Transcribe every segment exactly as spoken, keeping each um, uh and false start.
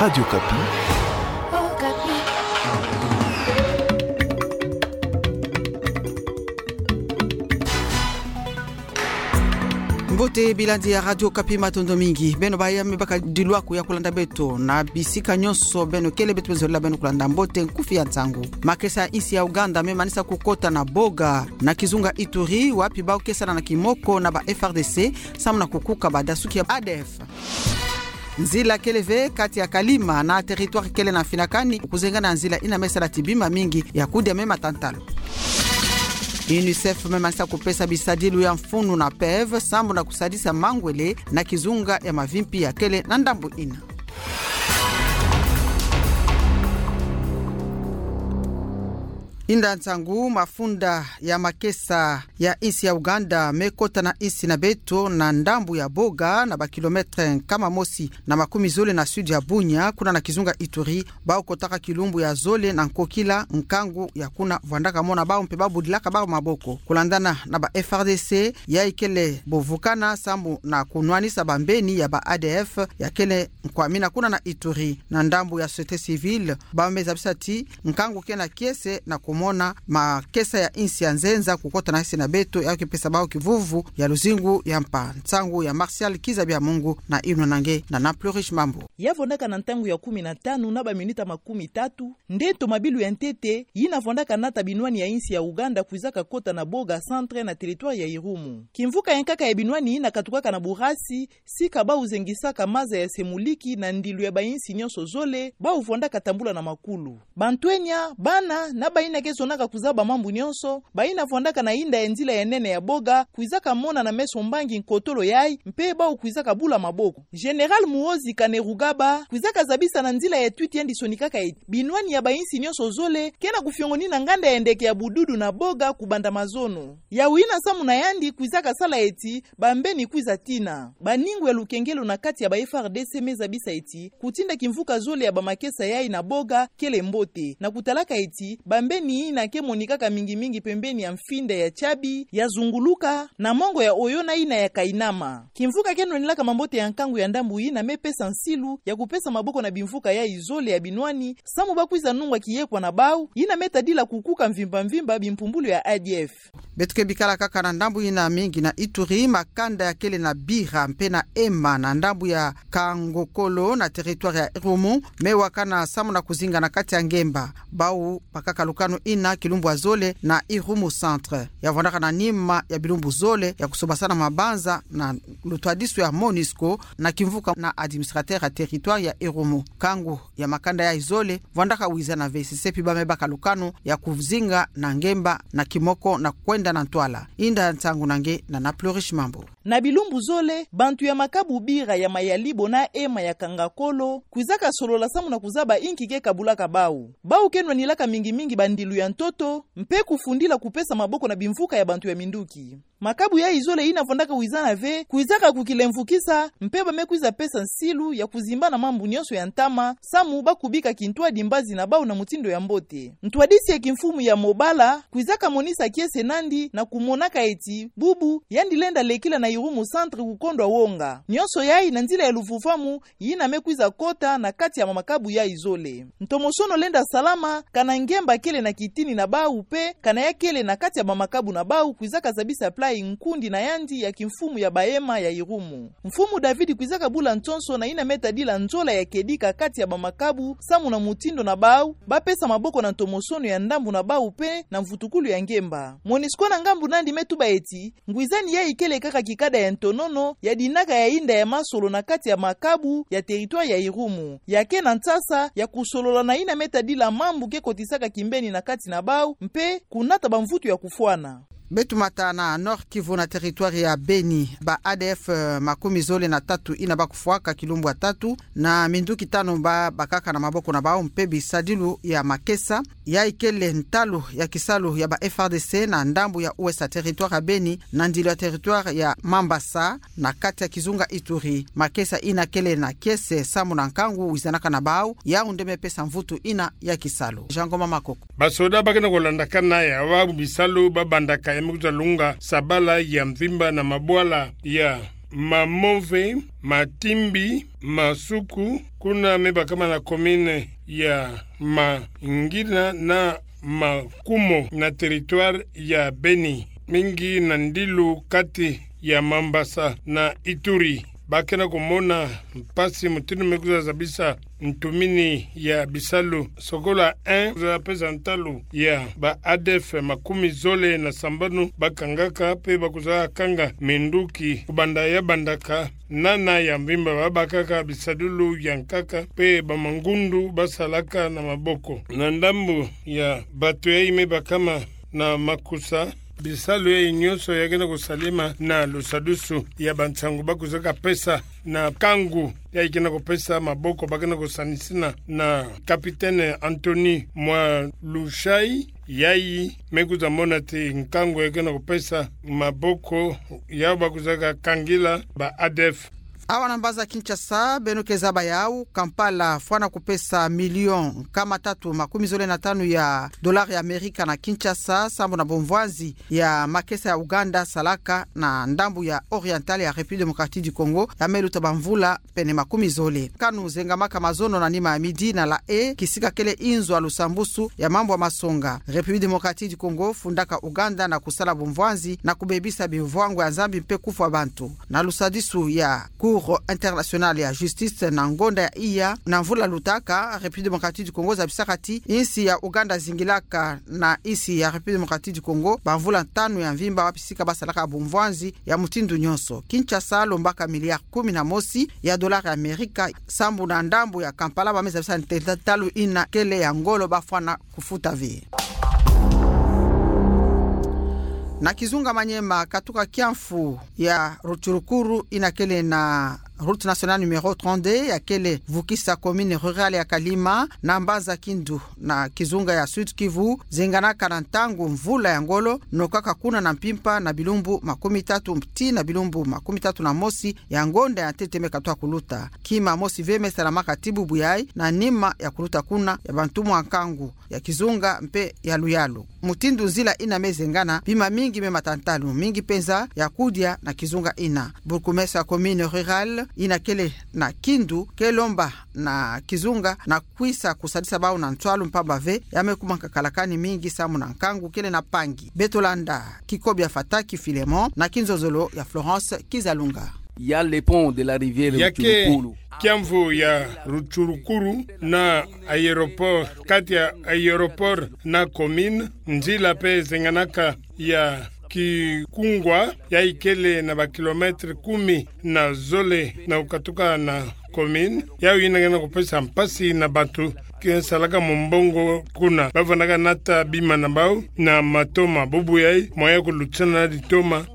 Radio Okapi. Mbote bilandi ya Radio Okapi, matondo mingi. Beno baya me baka diluaku ya kulanda beto na bisika nyonso beno kele. Beto me zolela beno kulanda mbote nkufi ya nsangu. Makesa ya insi ya Ouganda me manisa kukota na Boga na kizunga Ituri, wapi bau ke sala na kimoko na ba F R D C samu na kukuka badasuki ya A D F. Nzila kele ve kati ya Kalima na territoire kele na Mfinakani, kuzengana nzila ina me sala ti bima mingi ya kudia me matantalo. UNICEF me manisa kupesa bisadilu ya mfunu na PEV samu na kusadisa mangwele na kizunga ya mavimpi ya kele na ndambu ina. Inda nsangu, mafunda ya makesa ya insi ya Ouganda me kota na insi na beto na ndambu ya Boga, na ba kilomètre nkama mosi na makumi zole na sud ya Bunia, kuna na kizunga Ituri. Bau kotaka kilumbu ya zole na nkokila, nkangu ya kuna vwandaka mona bau mpe bau budilaka bau maboko. Kulandana na ba F R D C, yayi kele bovukana samu na kunwanisa bambeni ya ba A D F ya kele nkwamina kuna na Ituri. Na ndambu ya société civile, bau me zabisa ti nkangu ke na kiese na kumona makesa ya insi ya nzenza kukota na insi na beto, ya ke pesa bau kivuvu ya luzingu ya mpa. Nsangu ya Martial Kiza Bya Mungu na inwa na nge na Nana Plurish Mambu. Ya vwandaka na ntangu ya kumi na tanu na ba minuta makumi tatu, nde ntomabilu ya ntete yina vwandaka nata binwani ya insi ya Ouganda kwizaka kota na Boga centre na territoire ya Irumu. Kimvuka ya nkaka ya binwani yina katukaka na Burasi, sika bau zengisaka maza ya Semuliki na ndilu ya ba insi nyonso zole, bau vwandaka tambula na makulu. Bantwenya, bana, na bayina ke zonaka kuzaba mambu nyonso, bayina vwandaka na inda ya nzila ya nene ya Boga, kwizaka mona na meso mbangi nkotolo yayi, mpe bau kwizaka bula maboko. Général Muhoozi Kainerugaba kwizaka zabisa na nzila ya tweet yandi sonikaka eti binwani ya ba insi nyonso zole ke na kufiongonina nganda ya ndeke ya bududu na Boga kubanda mazono. Yawu yina samu na yandi kwizaka sala eti bambeni kwiza tina. Baningu ya lukengelo na kati ya ba F R D C me zabisa eti kutinda kimvuka zole ya ba makesa yayi na Boga kele mbote, na kutalaka eti bambeni yina ke monikaka mingi mingi pembeni ya mfinda ya Tiabi, ya Zunguluka, na mongo ya Oyona yina ya Kainama. Kimvuka ke nwanilaka mambote ya nkangu ya ndambu yina me pesa nsilu ya kupesa maboko na bimvuka yayi zole ya binwani, samu bau kwiza nungwa kiyekwa na bau, yina me tadila kukuka mvimba mvimba bimpumbulu ya A D F. Beto ke bikala kaka na ndambu yina mingi na Ituri, makanda ya kele na Bira mpe na Ema na ndambu ya Kangokolo na territoire ya Irumu, me wakana samu na kuzinga na kati ya ngemba. Bau bakaka lukanu yina kilumbu ya zole na Irumu centre. Ya vwandaka na nima ya bilumbu zole ya kusobasana mabanza na lutwadisu ya Monusco na kimvuka na administrateur ya territoire ya Irumu. Nkangu ya makanda yayi zole vwandaka wizana ve, sesepi bau me baka lukanu ya kuzinga na ngemba na kimoko na kwenda na ntwala. Inda nsangu na nge na Nana Plurish Mambu. Na bilumbu zole, bantu ya makabu Bira, ya Mayalibo na Ema, ya Kangokolo kwizaka solola samu na kuzaba inki ke kabulaka bau. Bau ke nwanilaka mingi mingi bandilu ya ntoto, mpe kufundila kupesa maboko na bimvuka ya bantu ya minduki. Makabu yayi zole yina vwandaka wizana ve kwizaka kukilemvukisa, mpe bau me kwiza pesa nsilu ya kuzimbana mambu nyonso ya ntama, samu bau kubika kintwadi mbazi na bau na mutindu ya mbote. Ntwadisi ya kimfumu ya Mobala kwizaka monisa kiese nandi na kumonaka eti bubu yandi lenda lekila na Irumu centre kukondwa wonga. Nyonso yayi na nzila ya luvuvamu yina me kwiza kota na kati ya makabu yayi zole. Ntomosono lenda salama, kana ngemba kele na kitini na bau mpe kana ya kele na kati ya ba makabu na bau kwizaka zabisa plan nkundi na yandi ya kimfumu ya ba Ema ya Irumu. Mfumu David kwizaka bula nsonso na yina me tadila nzola ya kedika kati ya ba makabu, samu na mutindu na bau bau pesa maboko na ntomosono ya ndambu na bau mpe na mvutukulu ya ngemba. Monusco na ngambu nandi me tuba eti ngwizani yayi kele kaka kikada ya ntonono ya dinaka ya inda ya masolo na kati ya makabu ya territoire ya Irumu. Ya ke na nsasa ya kusolola na yina me tadila mambu ke kotisaka kimbeni na kati na bau mpe kunata bamvutu ya kufwana. Beto mata na Nord-Kivu na territoire ya Beni. Ba A D F, eh, makumi zole na tatu yina bau kufwaka kilumbu ya tatu, na minduki tanu bau bakaka na maboko na bau mpe bisadilu ya makesa. Yayi kele ntalu ya kisalu ya ba F R D C na ndambu ya ouest ya territoire ya Beni, na ndilu ya territoire ya Mambasa, na kati ya kizunga Ituri. Makesa yina kele na kiese samu na nkangu wizanaka na bau, yawu nde me pesa mvutu yina ya kisalu. Jean Ngoma Makoko. Basoda ba ke na kulandakana ya bau bisalu ba bandaka ya me kwiza lunga sabala ya mvimba na mabwala ya Mamove, Matimbi, Masuku, kuna me bakama na commune ya Mangina na Makumo na territoire ya Beni, mingi na ndilu kati ya Mambasa na Ituri. Bakena kumona mpasi mutindu me kuzazabisa ntumini ya bisalu. Sokolo en kuzapesa ntalu ya ba A D F makumi zole na sambanu bakangaka pe bakuzakanga minduki kubanda ya bandaka nana ya mvimba babakaka bisadulu ya nkaka pe bamangundu basalaka na maboko. Na ndambu ya bato yayi me bakama na makusa, bisalu yayi nyonso ya kena kusalema na lusadusu ya bansangu bakuzaka pesa na nkangu yayi kena kupesa maboko, bakena kusanisina na capitaine Anthony Mwalushai, yayi me kuzamona ti nkangu ya kena kupesa maboko yau bakuzaka kangila ba A D F. Awa na mbanza Kinshasa, beno ke zaba yau, Kampala fwana kupesa million nkama tatu makumi zole na tanu ya dollar ya Amerika na Kinshasa, sambu na bumvwanzi ya makesa ya Ouganda salaka na ndambu ya Oriental ya République Démocratique du Congo, ya me luta bamvula pene makumi zole. Kanu zengamaka mazono na nima ya midi na La Haye, kisika kele inzo ya lusambusu ya mambu ya masonga. République Démocratique du Congo fundaka Ouganda na kusala bumvwanzi na kubebisa bimvwango ya Nzambi mpe kufwa bantu. Na lusadisu ya Cour internationale ya justice na ngonda ya iya na mvula lutaka, République Démocratique du Congo zabisaka ti insi ya Ouganda zingilaka na insi ya République Démocratique du Congo bamvula tanu ya mvimba, wapi sika basalaka bumvwanzi ya mutindu nyonso. Kinshasa lombaka milliard kumi na mosi ya dollar ya Amerika, sambu na ndambu ya Kampala ba me zabisa ti ntalu ina kele ya ngolo bafwana kufuta ve. Na kizunga Maniema, katuka kia mfu ya Rutshurukuru ina kele na route nationale numéro trente-deux ya kele vukisa commune rurale ya Kalima na mbanza Kindu na kizunga ya Sud-Kivu, zenganaka na ntangu mvula ya ngolo, nokaka kuna na mpimpa na bilumbu makumi tatu tii na bilumbu makumi tatu na mosi ya ngonda ya ntete me katoa kuluta. Kima mosi ve me salamaka ti bubu yayi na nima ya kuluta kuna ya bantumwa nkangu ya kizunga mpe ya luyalu. Mutindu nzila ina me zengana, bima mingi me mata ntalu, mingi mpenza ya kudia na kizunga ina. Bourgmestre ya commune rurale ina kele na Kindu ke lomba na kizunga na kwisa kusadisa bau na ntwalu mpamba ve ya me kuma nkakalakani mingi samu na nkangu kele na mpangi. Beto landa kikobi ya Fataki Philemon na kinzonzolo ya Florence Kizalunga. Il y a le pont de la rivière Rutshurukuru. Ya ke kia mvu ya Rutshurukuru na aéroport, kati ya aéroport na commune, nzila mpe zenganaka ya kikungwa, yayi kele na ba kilomètre kumi na zole na kukatuka na commune. Yau ina kena kupesa mpasi na bantu ke salaka mumbongo kuna. Bafwanaka nata bima na bau na matoma. Bubu yayi, moyen ya kulutisana na litoma,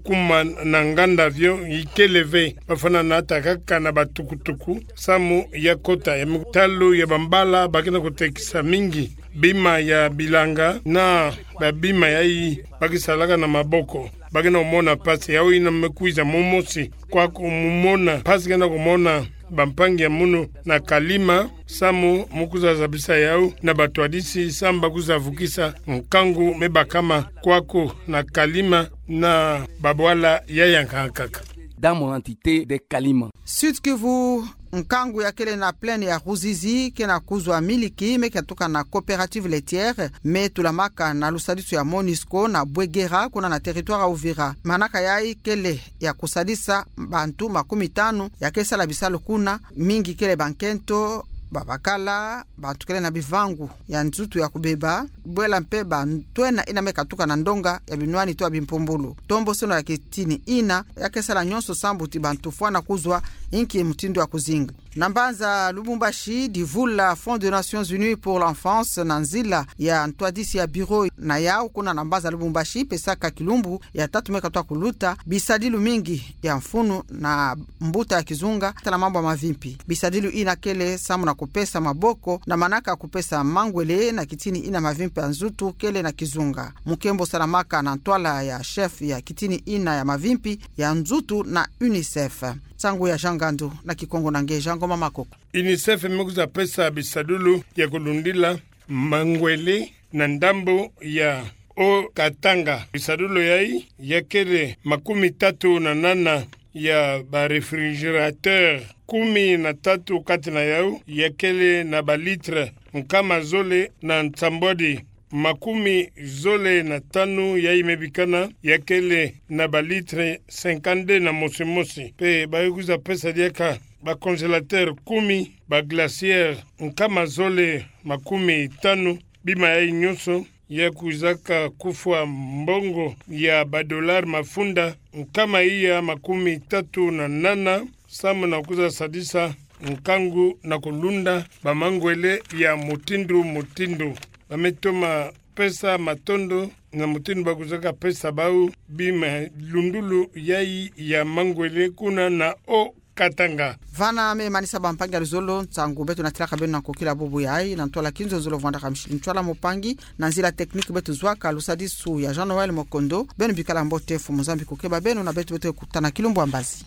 kuma na nganda avion ikele ve. Bafwana nata kaka na batukutuku samu ya kota ya mitalu ya bambala, ba kena kutekisa mingi bima ya bilanga na babima yayi ba ke salaka na maboko. Ba kena kumona mpasi. Yau ina me kwiza mumosi kwa kumona mpasi kena kumona bampangi ya munu na Kalima, samu mu kuzazabisa yau na batwadisi samu ba kuzavukisa nkangu me bakama kwaku na Kalima na babwala ya yankaka. Dans mon entité de Kalima. Sud-Kivu, nkangu ya kele na plaine ya Ruzizi kena kuzwa miliki me katuka na coopérative laitière, me tulamaka na lusadisu ya Monusco na Bouguéra, kuna na territoire ya Uvira. Manaka yayi kele ya kusadisa bantu makumi tanu ya ke sala bisalu kuna, mingi kele bankento, babakala, bantu kele na bivangu ya nzutu ya kubeba, bwela mpe bantwenia ina me katuka na ndonga ya binwani to ya bimpumbulu. Tombosono ya kitini ina ya ke sala nyonso samu ti bantu fwana kuzwa inki mutindu ya kuzinga. Na mbanza Lubumbashi, divula Fonds des Nations Unies pour l'enfance na nzila ya ntwadisi ya bureau na yau kuna na mbanza Lubumbashi, pesaka kilumbu ya tatu me katoa kuluta, bisadilu mingi ya mfunu na mbuta ya kizunga tala mambu ya mavimpi. Bisadilu ina kele samu na kupesa maboko na manaka kupesa mangwele na kitini ina mavimpi ya nzutu kele na kizunga. Mukembo salamaka na ntwala ya chef ya kitini ina ya mavimpi ya nzutu na UNICEF. Nsangu ya Jean Ngandu na Kikongo na nge Jean Ngoma Makoko. UNICEF me kwiza pesa bisadulu ya kulundila mangwele na ndambo ya Haut-Katanga. Bisadulu yayi ya kele makumi tatu na nana ya ba réfrigérateur kumi na tatu kati na yau, yakele na ba litre nkama zole na nsambwadi. Makumi zole na tanu yayi mebikana, yakele na ba litre cinquante-deux na mosi mosi. Pe baye kwiza pesa diaka ba congélateur kumi, ba glacière nkama zole makumi tanu, bima yayi nyonso ya kwizaka kufwa mbongo ya ba dollar mafunda nkama iya makumi tatu na nana, samu na kwiza sadisa nkangu na kulunda ba mangwele ya mutindu mutindu. Ba me toma pesa matondo na mutindu ba kwizaka pesa bau bima lundulu yayi ya mangwele kuna na o Katanga. Vana me manisa ba mpangi ya luzolo, nsangu beto natiraka beno na kokila bubu yayi, na ntwala kinzonzolo vwandaka Micheline Ntwala, mpangi na nzila technique beto zwaka lusadisu ya Jean Noël Mokondo. Beno bikala mbote, Mfumu Nzambi kukeba beno na beto beto kutana kilumbu ya mbazi.